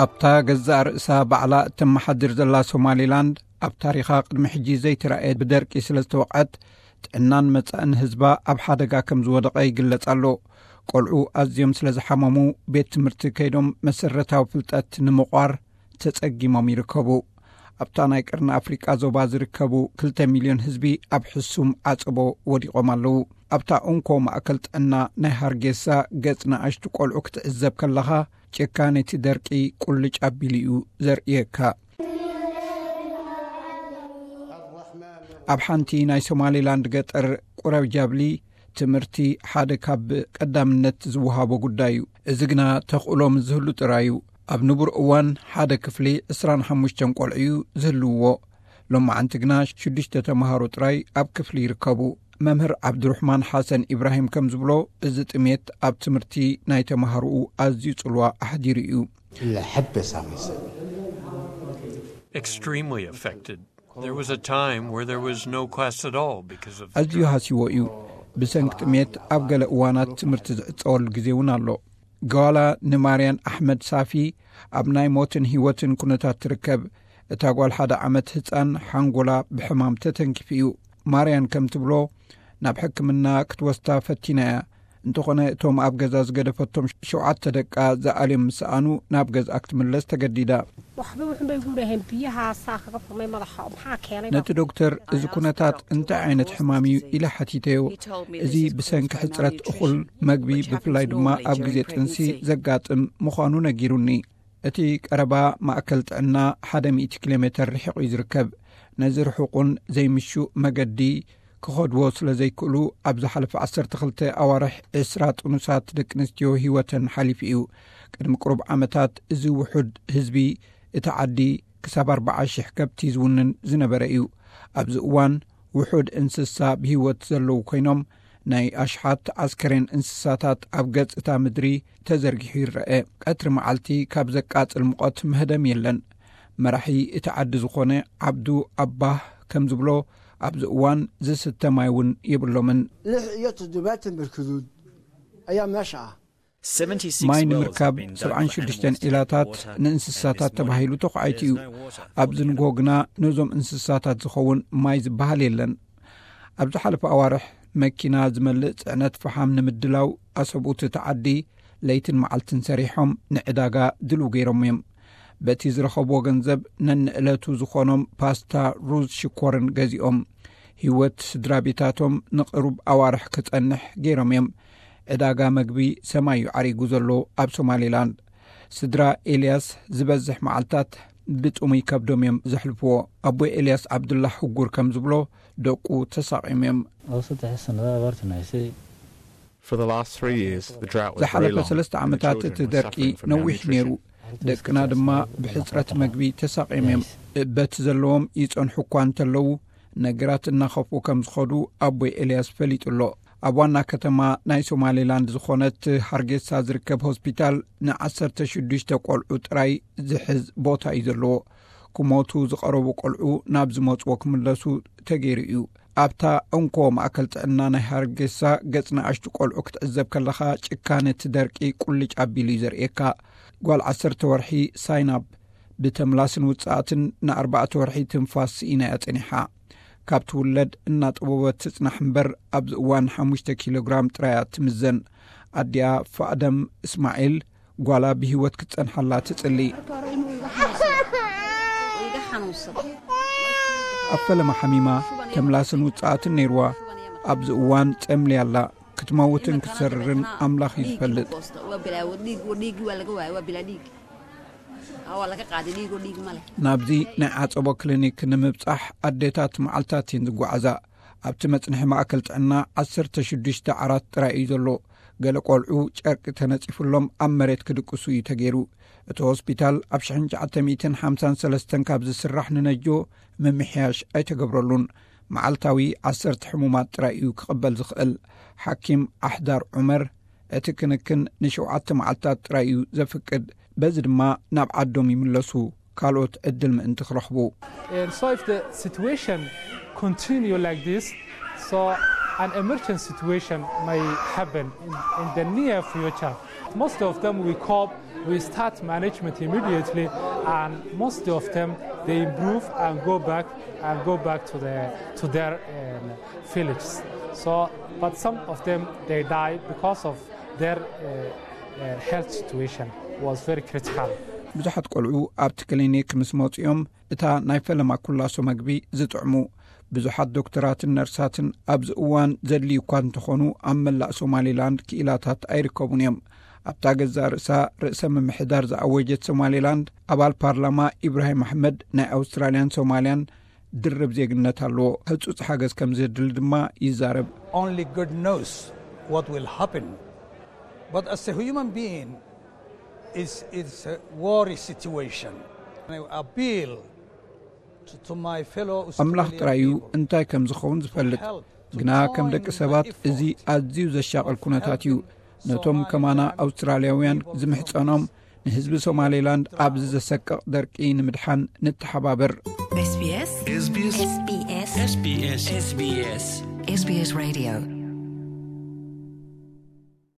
ኣብታ ገዛእ ርእሳ ባዕላ እተመሓድር ዘላ ሶማሊላንድ፣ ኣብ ታሪኻ ቅድሚ ሕጂ ዘይተራእየ ብደርቂ ስለ ዝተወቕዐት፣ ጥዕናን መጻእን ህዝባ ኣብ ሓደጋ ከም ዝወደቐ ይግለጽ ኣሎ። ቆልዑ ኣዝዮም ስለ ዝሓመሙ፣ ቤት ትምህርቲ ከይዶም መሰረታዊ ፍልጠት ንምቋር ተጸጊሞም ይርከቡ። ኣብታ ናይ ቀርኒ ኣፍሪቃ ዞባ ዝርከቡ ክልተ ሚልዮን ህዝቢ ኣብ ሕሱም ዓጸቦ ወዲቖም ኣለዉ። ኣብታ እንኮ ማእከል ጥዕና ናይ ሃርጌሳ ገጽ ንኣሽቱ ቆልዑ ክትዕዘብ ከለኻ፣ ጭካኔ እቲ ደርቂ ቁልጭ ኣቢሉ እዩ ዘርእየካ። ኣብ ሓንቲ ናይ ሶማሊላንድ ገጠር ቁረብ ጃብሊ፣ ትምህርቲ ሓደ ካብ ቀዳምነት ዝወሃቦ ጉዳይ እዩ። እዚ ግና ተኽእሎ ምስ ዝህሉ ጥራይ እዩ። ኣብ ንቡር እዋን ሓደ ክፍሊ ዕስራን ሓሙሽተን ቆልዑ እዩ ዝህልውዎ። ሎማዓንቲ ግና ሽዱሽተ ተምሃሮ ጥራይ ኣብ ክፍሊ ይርከቡ። መምህር ዓብዱርሕማን ሓሰን ኢብራሂም ከም ዝብሎ፣ እዚ ጥሜት ኣብ ትምህርቲ ናይ ተምሃሮኡ ኣዝዩ ጽልዋ ኣሕዲሩ እዩ። الحبة سامسة. Extremely affected. There was a time where there was no class at all because of the ኣዝዩ drought. ሃሲዎ እዩ። ብሰንኪ ጥሜት ኣብ ገለ እዋናት ትምህርቲ ዝዕጸወሉ ግዜ እውን ኣሎ። ጓላ ንማርያን ኣሕመድ ሳፊ ኣብ ናይ ሞትን ህይወትን ኩነታት ትርከብ። እታ ጓል ሓደ ዓመት ህጻን ሓንጎላ ብሕማም ተተንኪፉ እዩ። ማርያን ከም ትብሎ፣ ናብ ሕክምና ክትወስዳ ፈቲና እያ። እንተኾነ፣ እቶም ኣብ ገዛ ዝገደፈቶም ሸውዓተ ደቃ ዝኣልዮም ምስ ሰኣኑ፣ ናብ ገዝኣ ክትምለስ ተገዲዳ። waxba wuxunbay ugu dhaheen biyaha saa kaga furmay madaxa maxaa keenay ነቲ ዶክተር፣ "እዚ ኩነታት እንታይ ዓይነት ሕማም እዩ?" ኢለ ሓቲተዮ። "እዚ ብሰንኪ ሕጽረት እኹል መግቢ፣ ብፍላይ ድማ ኣብ ግዜ ጥንሲ ዘጋጥም ምዃኑ ነጊሩኒ። እቲ ቀረባ ማእከል ጥዕና ሓደ ሚእቲ ኪሎ ሜተር ርሒቑ እዩ ዝርከብ። ነዚ ርሑቕን ዘይምሹእ መገዲ ክኸድዎ ስለ ዘይክእሉ፣ ኣብ ዝሓለፈ ዓሰርተ ክልተ ኣዋርሕ ዕስራ ጥኑሳት ደቂ ኣንስትዮ ህይወተን ሓሊፉ እዩ። ቅድሚ ቅሩብ ዓመታት እዚ ውሑድ ህዝቢ እቲ ዓዲ ክሳብ ኣርባዓ ሽሕ ከብቲ ዝውንን ዝነበረ እዩ። ኣብዚ እዋን ውሑድ እንስሳ ብህይወት ዘለዉ ኮይኖም፣ ናይ ኣሽሓት ኣስከሬን እንስሳታት ኣብ ገጽ እታ ምድሪ ተዘርጊሑ ይረአ። ቀትሪ መዓልቲ ካብ ዘቃጽል ሙቐት መህደም የለን። መራሒ እቲ ዓዲ ዝኾነ ዓብዱ ኣባህ ከም ዝብሎ፣ ኣብዚ እዋን ዝስተ ማይ እውን የብሎምን። Lix iyo toddobaatan barkadood ayaa meesha ah. ማይ ንምርካብ ሰብዓን ሽዱሽተን ዒላታት ንእንስሳታት ተባሂሉ ተዃዒቱ እዩ። ኣብዚ ንግሆ ግና ነዞም እንስሳታት ዝኸውን ማይ ዝበሃል የለን። ኣብ ዝሓለፈ ኣዋርሕ፣ መኪና ዝመልእ ጽዕነት ፈሓም ንምድላው፣ ኣሰብኡት እቲ ዓዲ ለይትን መዓልትን ሰሪሖም ንዕዳጋ ድልው ገይሮም እዮም። በቲ ዝረኸብዎ ገንዘብ ነንዕለቱ ዝኾኖም ፓስታ፣ ሩዝ፣ ሽኮርን ገዚኦም። ህይወት ስድራ ቤታቶም ንቕሩብ ኣዋርሕ ክጸንሕ ገይሮም እዮም። ዕዳጋ መግቢ ሰማይ እዩ ዓሪጉ ዘሎ ኣብ ሶማሌላንድ። ስድራ ኤልያስ ዝበዝሕ መዓልታት ብጥሙይ ከብዶም እዮም ዘሕልፍዎ። ኣቦይ ኤልያስ ዓብዱላህ ህጉር ከም ዝብሎ፣ ደቁ ተሳቒዮም እዮም። Saddex sanada abaarta naysay. For the last three years, the drought was very ዝሓለፈ long, ሰለስተ and the ዓመታት children እቲ were ደርቂ suffering from ነዊሕ ነይሩ። malnutrition. ደቅና ድማ ብሕፅረት መግቢ ተሳቒዮም እዮም። በቲ ዘለዎም ይፀንሑ እኳ እንተለዉ፣ ነገራት እናኸፍኡ ከም ዝኸዱ ኣቦይ ኤልያስ ፈሊጡ ኣሎ። ኣብ ዋና ከተማ ናይ ሶማሌላንድ ዝኾነት ሃርጌሳ ዝርከብ ሆስፒታል ንዓሰርተ ሽዱሽተ ቆልዑ ጥራይ ዝሕዝ ቦታ እዩ ዘለዎ። ክሞቱ ዝቐረቡ ቆልዑ ናብ ዝመፅዎ ክምለሱ ተገይሩ እዩ። ኣብታ እንኮ ማእከል ጥዕና ናይ ሃርጌሳ ገጽ ንኣሽቱ ቆልዑ ክትዕዘብ ከለኻ፣ ጭካነ እቲ ደርቂ ቁልጭ ኣቢሉ እዩ ዘርእየካ። ጓል ዓሰርተ ወርሒ ሳይናብ ብተምላስን ውጽኣትን ንኣርባዕተ ወርሒ ትንፋስ ስኢና እያ ጸኒሓ። ካብ ትውለድ እናጠበበት ትጽናሕ እምበር፣ ኣብዚ እዋን ሓሙሽተ ኪሎ ግራም ጥራይ እያ ትምዘን። ኣዲኣ ፋእደም እስማዒል፣ ጓላ ብህይወት ክትጸንሓላ ትጽሊ። ኣብ ፈለማ ሓሚማ፣ ተምላስን ውጽኣትን ነይርዋ። ኣብዚ እዋን ጸምልያ ኣላ። ክትመውትን ክትሰርርን ኣምላኽ እዩ ዝፈልጥ። ናብዚ ናይ ዓጸቦ ክሊኒክ ንምብጻሕ ኣዴታት መዓልታት እየን ዝጓዓዛ። ኣብቲ መጽንሒ ማእከል ጥዕና ዓሰርተ ሽዱሽተ ዓራት ጥራይ እዩ ዘሎ። ገለ ቆልዑ ጨርቂ ተነጺፉሎም ኣብ መሬት ክድቅሱ እዩ ተገይሩ። እቲ ሆስፒታል ኣብ ሽሕን ትሽዓተ ሚእትን ሓምሳን ሰለስተን ካብ ዝስራሕ ንነጆ ምምሕያሽ ኣይተገብረሉን። መዓልታዊ ዓሰርተ ሕሙማት ጥራይ እዩ ክቕበል ዝኽእል። ሓኪም ኣሕዳር ዑመር፣ እቲ ክንክን ንሸውዓተ መዓልታት ጥራይ እዩ ዘፍቅድ። በዚ ድማ ናብ ዓዶም ይምለሱ፣ ካልኦት ዕድል ምእንቲ ክረኽቡ። And so if the situation continue like this, so An emergency situation may happen in, in the near future. Most of them we cope, we start management immediately, and most of them they improve and go back and go back to their to their um, villages. So, but some of them they die because of their uh, uh, health situation was very critical. ብዙሓት ቆልዑ ኣብቲ ክሊኒክ ምስ መፅኦም እታ ናይ ፈለማ ኩላሶ መግቢ ዝጥዕሙ ብዙሓት ዶክተራትን ነርሳትን ኣብዚ እዋን ዘድልዩ እኳ እንተኾኑ ኣብ መላእ ሶማሌላንድ ክኢላታት ኣይርከቡን እዮም። ኣብታ ገዛ ርእሳ ርእሰ ምምሕዳር ዝኣወጀት ሶማሌላንድ ኣባል ፓርላማ ኢብራሂም ኣሕመድ ናይ ኣውስትራልያን ሶማልያን ድርብ ዜግነት ኣለዎ። ህጹጽ ሓገዝ ከም ዘድሊ ድማ ይዛረብ። Only God knows what will happen. But as a human being, it's, it's a worry situation. I appeal to, to my fellow ኣምላኽ Australian ጥራይ እዩ people. እንታይ ከም ዝኸውን ዝፈልጥ። ግና ከም ደቂ ሰባት እዚ ኣዝዩ ዘሻቕል ኩነታት እዩ። ነቶም ከማና ኣውስትራልያውያን ዝምሕጸኖም ንህዝቢ ሶማሌላንድ ኣብዚ ዘሰቅቕ ደርቂ ንምድሓን ንተሓባበር። SBS SBS SBS SBS SBS Radio